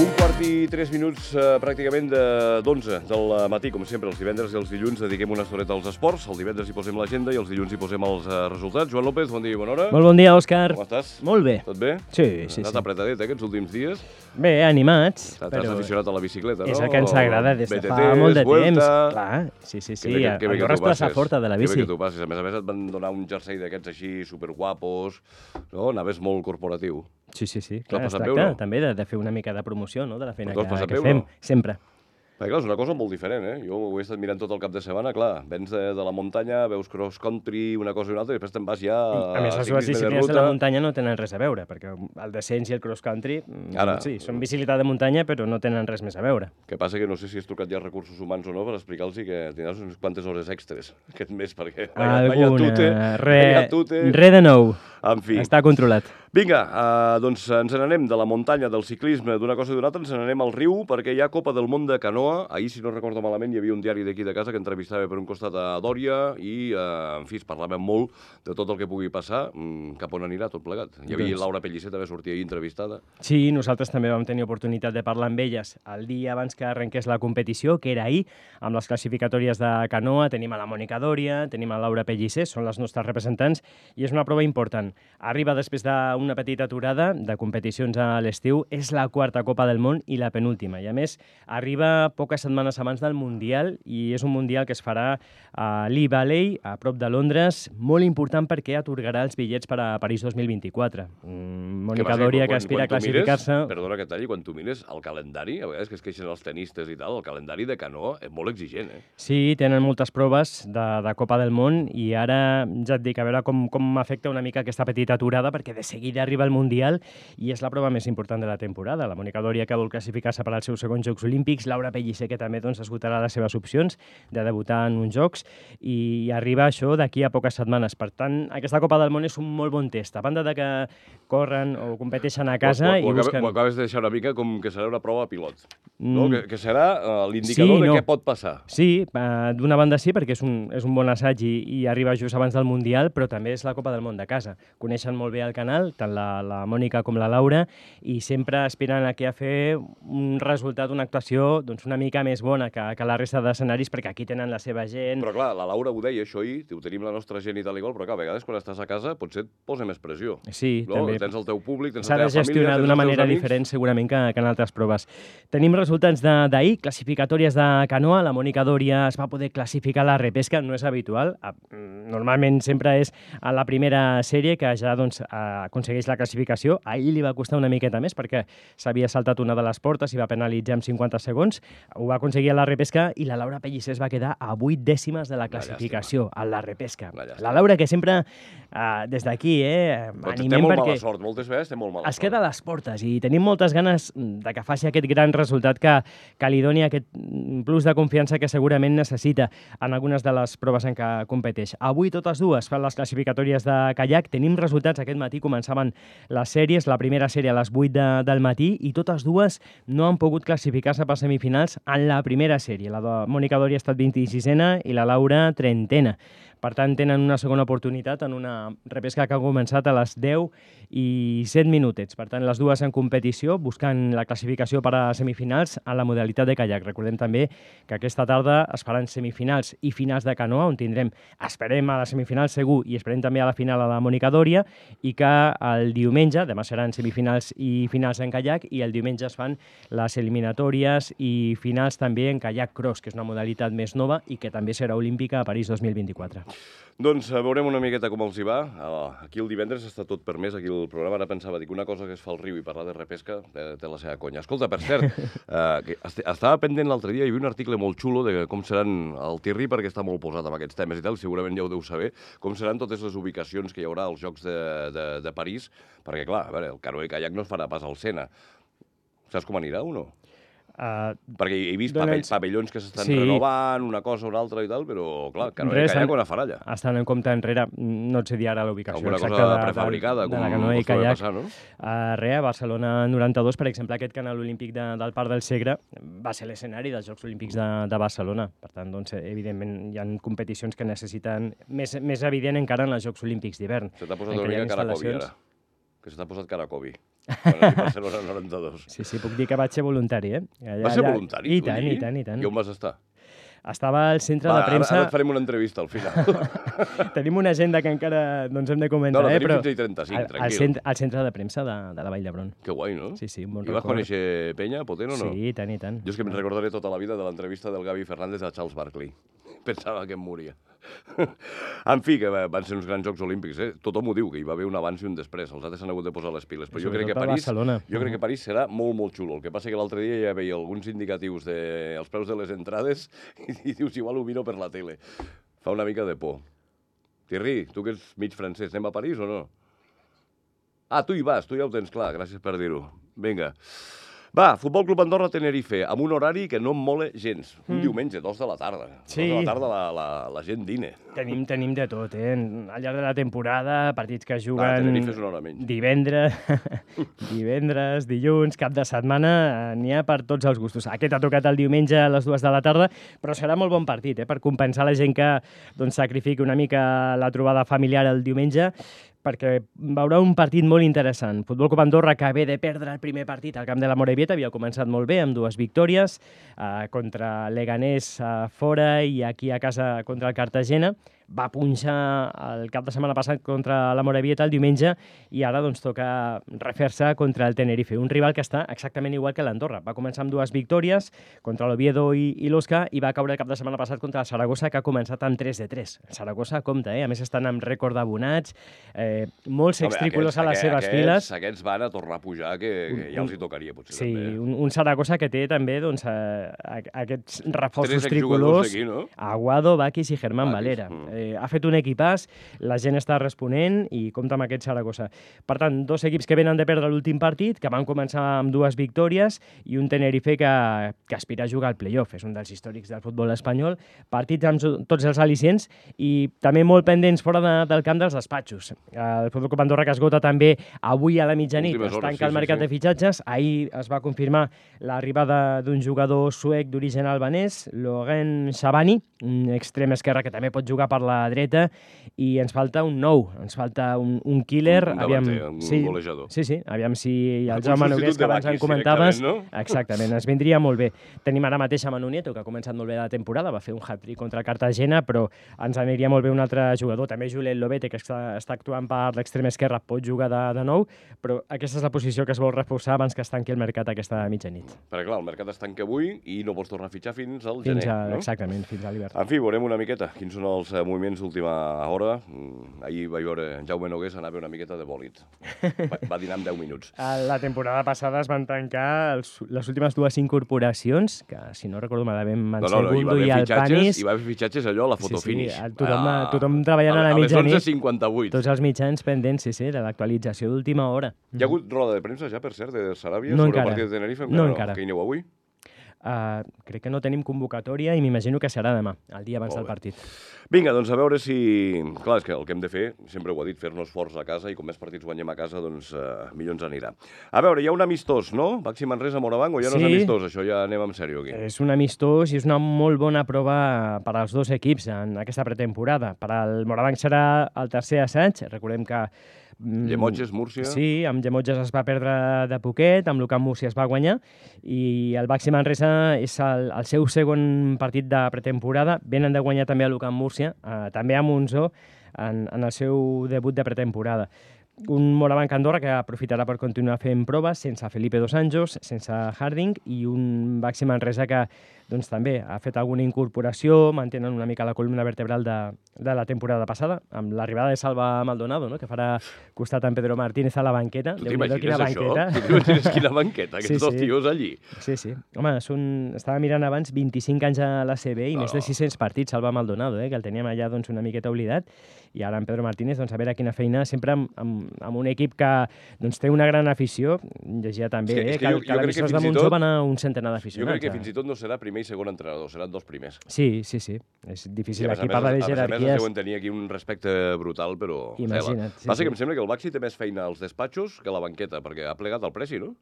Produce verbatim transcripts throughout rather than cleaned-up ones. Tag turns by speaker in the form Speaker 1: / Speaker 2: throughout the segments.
Speaker 1: Un quart i tres minuts eh, pràcticament de d'onze del matí, com sempre, els divendres i els dilluns dediquem una estoneta als esports. El divendres hi posem l'agenda i els dilluns hi posem els eh, resultats. Joan López, bon dia i bona hora.
Speaker 2: Molt bon dia, Òscar.
Speaker 1: Com estàs?
Speaker 2: Molt bé.
Speaker 1: Tot bé?
Speaker 2: Sí, sí,
Speaker 1: Has
Speaker 2: sí.
Speaker 1: apretadet, eh, aquests últims dies?
Speaker 2: Bé, animats.
Speaker 1: T'has
Speaker 2: però
Speaker 1: aficionat a la bicicleta, no?
Speaker 2: És el que ens agrada des de
Speaker 1: B T
Speaker 2: fa molt de
Speaker 1: Vuelta.
Speaker 2: temps. Clar, sí, sí, sí.
Speaker 1: Que bé que, que bé
Speaker 2: el
Speaker 1: que
Speaker 2: Borràs
Speaker 1: tu
Speaker 2: plaça
Speaker 1: passes.
Speaker 2: forta de la
Speaker 1: Que
Speaker 2: bici.
Speaker 1: bé que tu passes. A més a més et van donar un jersei d'aquests així superguapos, no? Anaves molt corporatiu.
Speaker 2: Sí, sí, sí.
Speaker 1: T'ho
Speaker 2: Clar,
Speaker 1: has
Speaker 2: es
Speaker 1: passat bé o
Speaker 2: tracta
Speaker 1: no?
Speaker 2: també de, de fer una mica de promoció, no?, de la feina
Speaker 1: Però t'ho
Speaker 2: que,
Speaker 1: has passat
Speaker 2: que
Speaker 1: bé o
Speaker 2: fem,
Speaker 1: no?
Speaker 2: sempre.
Speaker 1: Perquè, clar, és una cosa molt diferent, eh? Jo ho he estat mirant tot el cap de setmana, clar, vens de, de la muntanya, veus cross-country, una cosa i una altra, i després te'n vas ja
Speaker 2: I, a més, les dues disciplines de la muntanya no tenen res a veure, perquè el descens i el cross-country, mm,
Speaker 1: Ara.
Speaker 2: sí, són bicicleta de muntanya, però no tenen res més a veure.
Speaker 1: Que passa que no sé si has trucat ja a recursos humans o no per explicar-los que tindràs unes quantes hores extres aquest mes, perquè vaya, vaya tute, vaya tute...
Speaker 2: Re de nou.
Speaker 1: En fi.
Speaker 2: Està controlat.
Speaker 1: Vinga, uh, doncs ens n'anem de la muntanya, del ciclisme, d'una cosa i d'una altra, ens n'anem al riu, perquè hi ha Copa del Món de canoa. Ahir, si no recordo malament, hi havia un diari d'aquí de casa que entrevistava per un costat a Dòria i, uh, en fi, es parlava molt de tot el que pugui passar, mm, cap on anirà tot plegat. Hi havia
Speaker 2: Doncs...
Speaker 1: Laura Pellicer, també sortia ahir entrevistada.
Speaker 2: Sí, nosaltres també vam tenir oportunitat de parlar amb elles el dia abans que arrenqués la competició, que era ahir, amb les classificatòries de canoa. Tenim a la Mònica Dòria, tenim a Laura Pellicer, són les nostres representants, i és una prova important. Arriba després d'una petita aturada de competicions a l'estiu, és la quarta Copa del Món i la penúltima. I a més, arriba poques setmanes abans del Mundial, i és un Mundial que es farà a Lee Valley, a prop de Londres, molt important perquè atorgarà els bitllets per a París dos mil vint-i-quatre. Mm, Mònica Dòria, que aspira a classificar-se...
Speaker 1: Perdona que talli, quan tu mires el calendari, a vegades que es queixen els tenistes i tal, el calendari de canoa és molt exigent, eh?
Speaker 2: Sí, tenen moltes proves de, de Copa del Món, i ara ja et dic, a veure com, com afecta una mica aquesta petita aturada, perquè de seguida arriba el Mundial i és la prova més important de la temporada. La Mònica Dòria, que vol classificar-se per als seus segons Jocs Olímpics, Laura Pellicer, que també doncs, esgotarà les seves opcions de debutar en uns Jocs, i arriba això d'aquí a poques setmanes. Per tant, aquesta Copa del Món és un molt bon test. A banda de que corren o competeixen a casa
Speaker 1: ho, ho,
Speaker 2: i
Speaker 1: ho,
Speaker 2: busquen...
Speaker 1: Ho acabes de deixar una mica com que serà una prova pilot, no?
Speaker 2: Mm.
Speaker 1: Que, que serà uh, l'indicador
Speaker 2: Sí,
Speaker 1: de
Speaker 2: no.
Speaker 1: què pot passar.
Speaker 2: Sí, eh, d'una banda sí, perquè és un, és un bon assaig i, i arriba just abans del Mundial, però també és la Copa del Món de casa. Coneixen molt bé el canal, tant la, la Mònica com la Laura, i sempre aspiren a, que a fer un resultat, una actuació doncs, una mica més bona que, que la resta d'escenaris, perquè aquí tenen la seva gent.
Speaker 1: Però clar, la Laura ho deia, això ahir, ho tenim la nostra gent i tal i qual, però clar, a vegades quan estàs a casa potser et posa més pressió.
Speaker 2: Sí,
Speaker 1: no?
Speaker 2: també.
Speaker 1: Tens el teu públic, tens
Speaker 2: S'ha
Speaker 1: la
Speaker 2: de
Speaker 1: teva família,
Speaker 2: gestionar
Speaker 1: tens
Speaker 2: d'una
Speaker 1: els teus
Speaker 2: manera
Speaker 1: amics.
Speaker 2: diferent segurament que, que en altres proves. Tenim resultats d'ahir, classificatòries de canoa. La Mònica Dòria es va poder classificar a la repesca, no és habitual. Normalment sempre és a la primera sèrie que ja doncs, aconsegueix la classificació. Ahir li va costar una miqueta més perquè s'havia saltat una de les portes i va penalitzar amb cinquanta segons. Ho va aconseguir a la repesca i la Laura Pellicer es va quedar a vuit dècimes de la classificació a la repesca. La Laura, que sempre, uh, des d'aquí, eh,
Speaker 1: Però té
Speaker 2: animem
Speaker 1: molt
Speaker 2: perquè...
Speaker 1: mala sort, moltes vegades té molt mala
Speaker 2: Es
Speaker 1: sort.
Speaker 2: queda a les portes i tenim moltes ganes de que faci aquest gran resultat que, que li doni aquest plus de confiança que segurament necessita en algunes de les proves en què competeix. Avui totes dues fan les classificatòries de caiac. Tenim resultats. Aquest matí començaven les sèries, la primera sèrie a les vuit de, del matí, i totes dues no han pogut classificar-se per semifinals en la primera sèrie. La de Mònica Dòria ha estat vint-i-sisena i la Laura trentena. Per tant, tenen una segona oportunitat en una repesca que ha començat a les deu i set minutets. Per tant, les dues en competició, buscant la classificació per a semifinals en la modalitat de caiac. Recordem també que aquesta tarda es faran semifinals i finals de canoa, on tindrem, esperem a la semifinal segur, i esperem també a la final a la Mònica Dòria, i que el diumenge, demà seran semifinals i finals en caiac, i el diumenge es fan les eliminatòries i finals també en caiac cross, que és una modalitat més nova i que també serà olímpica a París dos mil vint-i-quatre.
Speaker 1: Doncs veurem una miqueta com els hi va. Aquí el divendres està tot permès, aquí el programa. Ara pensava, dic, una cosa que es fa al riu i parlar de repesca té, té la seva conya. Escolta, per cert, eh, que estava pendent l'altre dia, hi havia un article molt xulo de com seran el Tirri, perquè està molt posat amb aquests temes i tal, segurament ja ho deu saber, com seran totes les ubicacions que hi haurà als Jocs de, de, de París, perquè, clar, a veure, el canoa i caiac no es farà pas al Sena. Saps com anirà o no? Uh, Perquè he vist donats... pavellons que s'estan sí. renovant, una cosa o una altra i tal, però, clar, canoa i caiac on farà allà?
Speaker 2: Estan en compte enrere, no et sé dir ara la ubicació
Speaker 1: alguna
Speaker 2: exacta
Speaker 1: cosa
Speaker 2: de,
Speaker 1: prefabricada,
Speaker 2: de, de
Speaker 1: com
Speaker 2: la canoa i caiac.
Speaker 1: Passar, no?
Speaker 2: Uh, res, a Barcelona noranta-dos, per exemple, aquest canal olímpic de, del Parc del Segre va ser l'escenari dels Jocs Olímpics de, de Barcelona. Per tant, doncs, evidentment, hi ha competicions que necessiten, més, més evident encara en els Jocs Olímpics d'hivern.
Speaker 1: Se t'ha posat una mica cara Covid, ara. Que se t'ha posat cara Covid. Quan a Barcelona noranta-dos.
Speaker 2: Sí, sí, puc dir que vaig ser voluntari, eh? Allà,
Speaker 1: Vas ser
Speaker 2: allà...
Speaker 1: voluntari?
Speaker 2: I tant, i tant, i tant.
Speaker 1: I on vas estar?
Speaker 2: Estava al centre
Speaker 1: Va,
Speaker 2: de premsa...
Speaker 1: ara, ara et farem una entrevista al final.
Speaker 2: Tenim una agenda que encara doncs, hem de comentar,
Speaker 1: no, no,
Speaker 2: eh?
Speaker 1: tenim
Speaker 2: Però
Speaker 1: fins ahir trenta-cinc,
Speaker 2: al,
Speaker 1: tranquil.
Speaker 2: al, centre, al centre de premsa de, de la Vall d'Hebron.
Speaker 1: Que guai, no?
Speaker 2: Sí, sí, un bon
Speaker 1: I vas
Speaker 2: record.
Speaker 1: conèixer penya potent o no?
Speaker 2: Sí, i tant, i tant.
Speaker 1: Jo és que me'n recordaré tota la vida de l'entrevista del Gavi Fernández a Charles Barkley. Pensava que em moria. En fi, que van ser uns grans Jocs Olímpics, eh? Tothom ho diu, que hi va haver un abans i un després. Els altres s'han hagut de posar les piles. Però jo crec, que París, jo crec que París serà molt, molt xulo. El que passa que l'altre dia ja veia alguns indicatius dels preus de les entrades i, i dius, igual ho miro per la tele. Fa una mica de por. Thierry, tu que ets mig francès, anem a París o no? Ah, tu hi vas, tu ja ho tens clar, gràcies per dir-ho. Vinga. Va, Futbol Club Andorra Tenerife, amb un horari que no em mola gens. Un mm. diumenge, dos de la tarda.
Speaker 2: Sí.
Speaker 1: Dos de la tarda la, la, la gent dine.
Speaker 2: Tenim, tenim de tot, eh? Al llarg de la temporada, partits que juguen...
Speaker 1: Ah, Tenerife és una hora menys.
Speaker 2: Divendres, divendres, dilluns, cap de setmana, n'hi ha per tots els gustos. Aquest ha tocat el diumenge a les dues de la tarda, però serà molt bon partit, eh? Per compensar la gent que doncs, sacrifiqui una mica la trobada familiar el diumenge, perquè veurà un partit molt interessant. Futbol Club Andorra, que ve de perdre el primer partit al camp de la Morevieta, havia començat molt bé, amb dues victòries, eh, contra Leganés eh, fora i aquí a casa contra el Cartagena. Va punxar el cap de setmana passat contra la Morevieta el diumenge i ara doncs, toca refer-se contra el Tenerife, un rival que està exactament igual que l'Andorra. Va començar amb dues victòries contra l'Oviedo i, i l'Osca i va caure el cap de setmana passat contra el Saragossa, que ha començat amb tres de tres. El Saragossa compta, eh? A més estan amb rècord d'abonats, eh, molts extrícolos a les seves
Speaker 1: aquests,
Speaker 2: files.
Speaker 1: Aquests van a tornar a pujar, que, que ja els hi tocaria, potser.
Speaker 2: Sí,
Speaker 1: també.
Speaker 2: un, un Saragossa que té també doncs, eh, aquests reforços
Speaker 1: Tres
Speaker 2: tricolors,
Speaker 1: d'aquí, no?
Speaker 2: Aguado, Bakis i Germán
Speaker 1: Bakis,
Speaker 2: Valera.
Speaker 1: mm.
Speaker 2: Eh, ha fet un equipàs, la gent està responent i compta amb aquest Saragossa. Per tant, dos equips que venen de perdre l'últim partit, que van començar amb dues victòries, i un Tenerife que, que aspira a jugar al play-off. És un dels històrics del futbol espanyol. Partits amb tots els al·licients i també molt pendents fora de, del camp dels despatxos. El Futbol Club Andorra que esgota també avui a la mitjanit.
Speaker 1: Últimes
Speaker 2: Es
Speaker 1: hores,
Speaker 2: tanca
Speaker 1: sí,
Speaker 2: el mercat
Speaker 1: sí, sí.
Speaker 2: de fitxatges. Ahir es va confirmar l'arribada d'un jugador suec d'origen albanès, Logan Shabani, un extrem esquerre que també pot jugar per la dreta, i ens falta un nou, ens falta un, un killer.
Speaker 1: Un
Speaker 2: aviam,
Speaker 1: davanter, un
Speaker 2: sí,
Speaker 1: golejador.
Speaker 2: Sí, sí, aviam si el
Speaker 1: Un
Speaker 2: Jaume
Speaker 1: substitut
Speaker 2: Nogués, que
Speaker 1: de
Speaker 2: abans en
Speaker 1: Bakis,
Speaker 2: comentaves...
Speaker 1: directament, no?
Speaker 2: Exactament, ens vindria molt bé. Tenim ara mateix a Manu Nieto, que ha començat molt bé la temporada, va fer un hat-trick contra el Cartagena, però ens aniria molt bé un altre jugador. També Juliet Lobete, que està, està actuant per l'extrem esquerre, pot jugar de, de nou, però aquesta és la posició que es vol reforçar abans que es tanqui el mercat aquesta mitjanit.
Speaker 1: Perquè, clar, el mercat es tanca avui i no pots tornar a fitxar fins al
Speaker 2: Fins
Speaker 1: gener,
Speaker 2: a,
Speaker 1: no?
Speaker 2: Exactament, fins a l'hivern.
Speaker 1: En fi, veurem una miqueta quins són els eh, moviments d'última hora. Mm, Ahir vaig veure Jaume Nogués anar a veure una miqueta de bòlit. Va, va dinar en deu minuts.
Speaker 2: La temporada passada es van tancar els, les últimes dues incorporacions, que si no recordo malament,
Speaker 1: No, no, no, hi va
Speaker 2: Mansegundo
Speaker 1: haver
Speaker 2: i el
Speaker 1: fitxatges,
Speaker 2: Panis.
Speaker 1: hi va haver fitxatges allò a la fotofinish.
Speaker 2: Sí, sí, tothom,
Speaker 1: Ah,
Speaker 2: tothom treballant a la
Speaker 1: a les
Speaker 2: mitjanit.
Speaker 1: onze cinquanta-vuit.
Speaker 2: Tots els mitjans pendents, sí, sí, de l'actualització d'última hora.
Speaker 1: Hi ha hagut roda de premsa ja, per cert, de Saràbia
Speaker 2: No
Speaker 1: sobre
Speaker 2: encara.
Speaker 1: el partit de Tenerife?
Speaker 2: No encara.
Speaker 1: Que hi aneu avui?
Speaker 2: Uh, crec que no tenim convocatòria i m'imagino que serà demà, el dia abans
Speaker 1: Molt
Speaker 2: del
Speaker 1: bé.
Speaker 2: partit.
Speaker 1: Vinga, doncs a veure si... Clar, és que el que hem de fer, sempre ho ha dit, fer-nos forts a casa i com més partits guanyem a casa, doncs uh, millor ens anirà. A veure, hi ha un amistós, no? Baxi Manresa, Morabanc, o ja no és
Speaker 2: Sí.
Speaker 1: amistós? Això ja anem en sèrio aquí.
Speaker 2: És un amistós i és una molt bona prova per als dos equips en aquesta pretemporada. Per al Morabanc serà el tercer assaig, recordem que mm,
Speaker 1: Llemotges, Múrcia...
Speaker 2: Sí, amb Llemotges es va perdre de poquet, amb l'Ucamp Múrcia es va guanyar, i el Baxi Manresa és el, el seu segon partit de pretemporada. Venen de guanyar també a l'Ucamp Múrcia, eh, també a Monzó, en, en el seu debut de pretemporada. Un Morabanc Andorra que aprofitarà per continuar fent proves sense Felipe Dos Anjos, sense Harding, i un Baxi Manresa que doncs, també ha fet alguna incorporació, mantenen una mica la columna vertebral de, de la temporada passada, amb l'arribada de Salva Maldonado, no? Que farà costat en Pedro Martínez a la banqueta.
Speaker 1: Tu
Speaker 2: Déu-n'hi-do,
Speaker 1: t'imagines
Speaker 2: quina
Speaker 1: això?
Speaker 2: banqueta.
Speaker 1: Tu t'imagines quina banqueta, aquests
Speaker 2: Sí,
Speaker 1: dos
Speaker 2: sí.
Speaker 1: tios allí?
Speaker 2: Sí, sí. Home, són... estava mirant abans vint-i-cinc anys a l'A C B i
Speaker 1: No.
Speaker 2: més de sis-cents partits, Salva Maldonado, eh? Que el teníem allà doncs, una miqueta oblidat, i ara en Pedro Martínez, doncs, a veure quina feina, sempre amb, amb, amb un equip que doncs, té una gran afició. Llegia també
Speaker 1: És que-
Speaker 2: eh?
Speaker 1: és que
Speaker 2: que,
Speaker 1: jo-
Speaker 2: que,
Speaker 1: jo crec que
Speaker 2: l'emissors de
Speaker 1: fins i
Speaker 2: Monzó
Speaker 1: tot-
Speaker 2: van a un centenar
Speaker 1: Jo
Speaker 2: d'aficionats.
Speaker 1: crec que
Speaker 2: eh?
Speaker 1: fins i tot no serà primer i segon entrenador, seran dos primers.
Speaker 2: Sí, sí, sí. És
Speaker 1: I
Speaker 2: difícil.
Speaker 1: a més a
Speaker 2: Aquí
Speaker 1: més,
Speaker 2: parla de
Speaker 1: a més a més, es
Speaker 2: jerarquies.
Speaker 1: deuen tenir aquí un respecte brutal, però...
Speaker 2: Imagina't, sí,
Speaker 1: Passa
Speaker 2: sí.
Speaker 1: que em sembla que el Baxi té més feina als despatxos que a la banqueta, perquè ha plegat el Preci, no?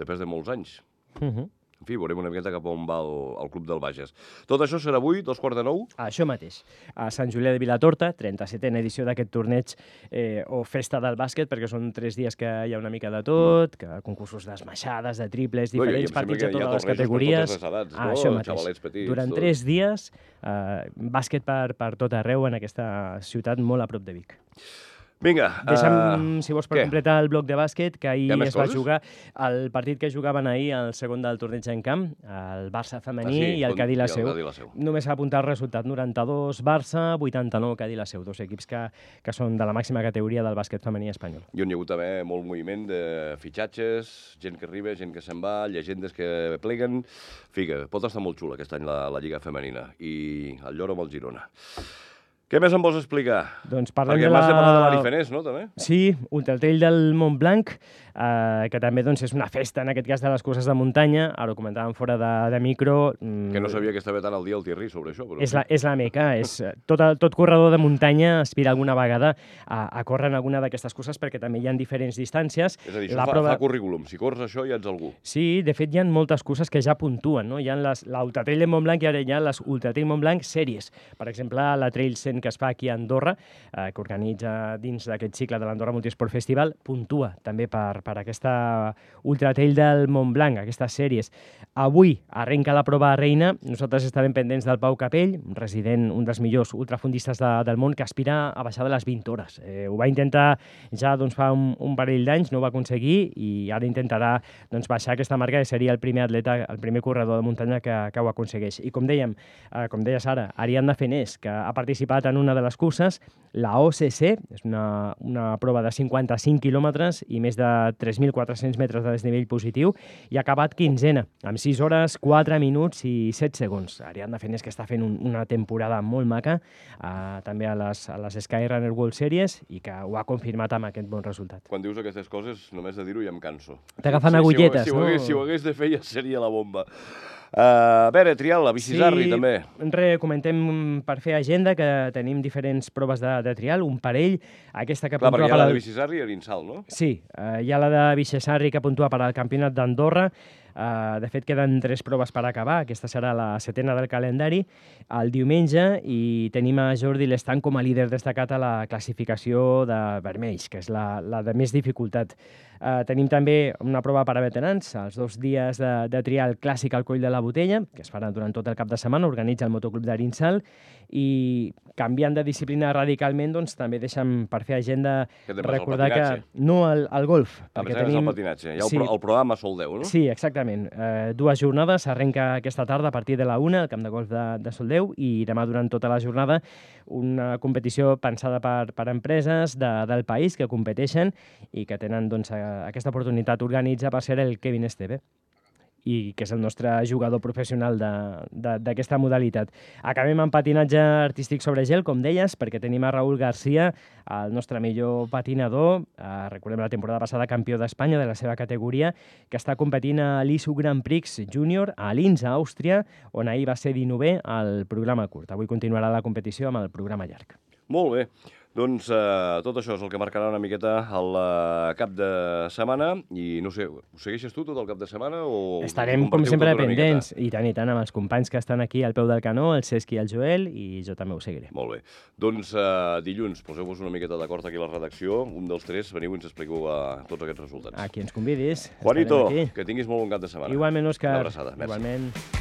Speaker 1: Després de molts anys.
Speaker 2: Uh -huh.
Speaker 1: en fi, veurem una miqueta cap on va el, el Club del Bages. Tot això serà avui, dos quarts de nou?
Speaker 2: Això mateix. A Sant Julià de Vilatorta, trenta-setena edició d'aquest torneig eh, o festa del bàsquet, perquè són tres dies que hi ha una mica de tot, que concursos d'esmaixades, de triples, diferents no, partits de totes les categories.
Speaker 1: Per edats,
Speaker 2: ah,
Speaker 1: no?
Speaker 2: Això mateix.
Speaker 1: Xavalets petits.
Speaker 2: Durant
Speaker 1: tot.
Speaker 2: tres dies, eh, bàsquet per, per tot arreu en aquesta ciutat molt a prop de Vic.
Speaker 1: Vinga.
Speaker 2: Deixa'm,
Speaker 1: uh,
Speaker 2: si vols, per
Speaker 1: què?
Speaker 2: completar el bloc de bàsquet, que ahir es va
Speaker 1: coses?
Speaker 2: jugar el partit que jugaven ahir, el segon del torneig en camp, el Barça femení
Speaker 1: ah, sí,
Speaker 2: i el Cadí la Seu.
Speaker 1: Seu.
Speaker 2: Només s'ha apuntat el resultat, noranta-dos Barça, vuitanta-nou Cadí la Seu, dos equips que, que són de la màxima categoria del bàsquet femení espanyol.
Speaker 1: I on hi ha hagut també molt moviment de fitxatges, gent que arriba, gent que se'n va, llegendes que pleguen. Figa, pot estar molt xula aquest any la, la Lliga Femenina i el lloro amb el Girona. Què més em vols explicar?
Speaker 2: Doncs parlem
Speaker 1: Perquè
Speaker 2: de
Speaker 1: m'has
Speaker 2: la...
Speaker 1: de parlar de l'Arifenès, no, també?
Speaker 2: Sí, Ultratrail del Montblanc, eh, que també doncs, és una festa, en aquest cas, de les curses de muntanya. Ara ho comentàvem fora de, de micro. Mm,
Speaker 1: que no sabia que estava tan al dia el Thierry sobre això. Però...
Speaker 2: És, la, és la meca. És, tot, tot corredor de muntanya aspira alguna vegada a, a córrer en alguna d'aquestes curses, perquè també hi ha diferents distàncies.
Speaker 1: És a dir,
Speaker 2: la
Speaker 1: això fa,
Speaker 2: prova...
Speaker 1: fa currículum. Si corres això ja ets algú.
Speaker 2: Sí, de fet, hi ha moltes curses que ja puntuen. No? Hi ha l'Ultratrail de Montblanc i ara hi ha les Ultratrail Montblanc sèries. Per exemple, la Trail cent que es fa aquí a Andorra, eh, que organitza dins d'aquest cicle de l'Andorra Multisport Festival, puntua també per, per aquesta Ultratrail del Montblanc, aquestes sèries. Avui arrenca la prova reina. Nosaltres estarem pendents del Pau Capell, un resident, un dels millors ultrafondistes de, del món, que aspira a baixar de les vint hores. Eh, ho va intentar ja doncs, fa un, un parell d'anys, no ho va aconseguir, i ara intentarà doncs, baixar aquesta marca, que seria el primer atleta, el primer corredor de muntanya que, que ho aconsegueix. I com dèiem, eh, com deies ara, Ariadna Fenés, que ha participat en una de les curses, la O C C, és una, una prova de cinquanta-cinc quilòmetres i més de tres mil quatre-cents metres de desnivell positiu, i ha acabat quinzena, amb sis hores, quatre minuts i set segons. Ariadna Fenés, que està fent un, una temporada molt maca, eh, també a les, a les Skyrunner World Series, i que ho ha confirmat amb aquest bon resultat.
Speaker 1: Quan dius aquestes coses, només de dir-ho ja em canso.
Speaker 2: T'agafen sí, agulletes,
Speaker 1: si ho, si ho
Speaker 2: no?
Speaker 1: Hagués, si ho hagués de fer ja seria la bomba. Uh, a veure, trial, la Bicisarri,
Speaker 2: sí,
Speaker 1: també.
Speaker 2: Re, comentem per fer agenda que tenim diferents proves de, de trial, un parell. Aquesta que
Speaker 1: Clar,
Speaker 2: puntua
Speaker 1: perquè hi ha
Speaker 2: per
Speaker 1: la
Speaker 2: al...
Speaker 1: de Bicisarri i Arinsal, no?
Speaker 2: Sí, uh, hi ha la de Bicisarri que puntua per al Campionat d'Andorra. Uh, de fet, queden tres proves per acabar. Aquesta serà la setena del calendari, el diumenge, i tenim a Jordi Lestan com a líder destacat a la classificació de vermells, que és la, la de més dificultat. Uh, tenim també una prova per a veterans, els dos dies de, de trial clàssic al Coll de la Botella, que es farà durant tot el cap de setmana, organitza el Motoclub d'Arinsal, i canviant de disciplina radicalment, doncs també deixa'm per fer agenda recordar que... No, el, el golf.
Speaker 1: A més, tenim... és el patinatge. Hi ha el,
Speaker 2: sí.
Speaker 1: pro, el programa Sol deu, no?
Speaker 2: Sí, exactament. Eh, dues jornades, arrenca aquesta tarda a partir de la una, al camp de golf de, de Soldeu, i demà durant tota la jornada una competició pensada per, per empreses de, del país que competeixen i que tenen doncs, aquesta oportunitat. Organitza per ser el Kevin Esteve, i que és el nostre jugador professional d'aquesta modalitat. Acabem amb patinatge artístic sobre gel, com deies, perquè tenim a Raúl García, el nostre millor patinador, eh, recordem la temporada passada campió d'Espanya de la seva categoria, que està competint a l'I S U Grand Prix Júnior a Linz, a Àustria, on ahir va ser dinovè al programa curt. Avui continuarà la competició amb el programa llarg.
Speaker 1: Molt bé. Doncs eh, tot això és el que marcarà una miqueta el uh, cap de setmana, i no sé, ho segueixes tu tot el cap de setmana? O
Speaker 2: estarem, com sempre, pendents, i tant i tant, amb els companys que estan aquí al peu del canó, el Cesc i el Joel, i jo també ho seguiré.
Speaker 1: Molt bé. Doncs uh, dilluns, poseu-vos una miqueta d'acord aquí a la redacció, un dels tres, veniu i ens expliqueu uh, tots aquests resultats.
Speaker 2: A qui ens convidis.
Speaker 1: Juanito, que tinguis molt bon cap de setmana.
Speaker 2: Igualment, Òscar.
Speaker 1: Una abraçada. Merci.
Speaker 2: Igualment.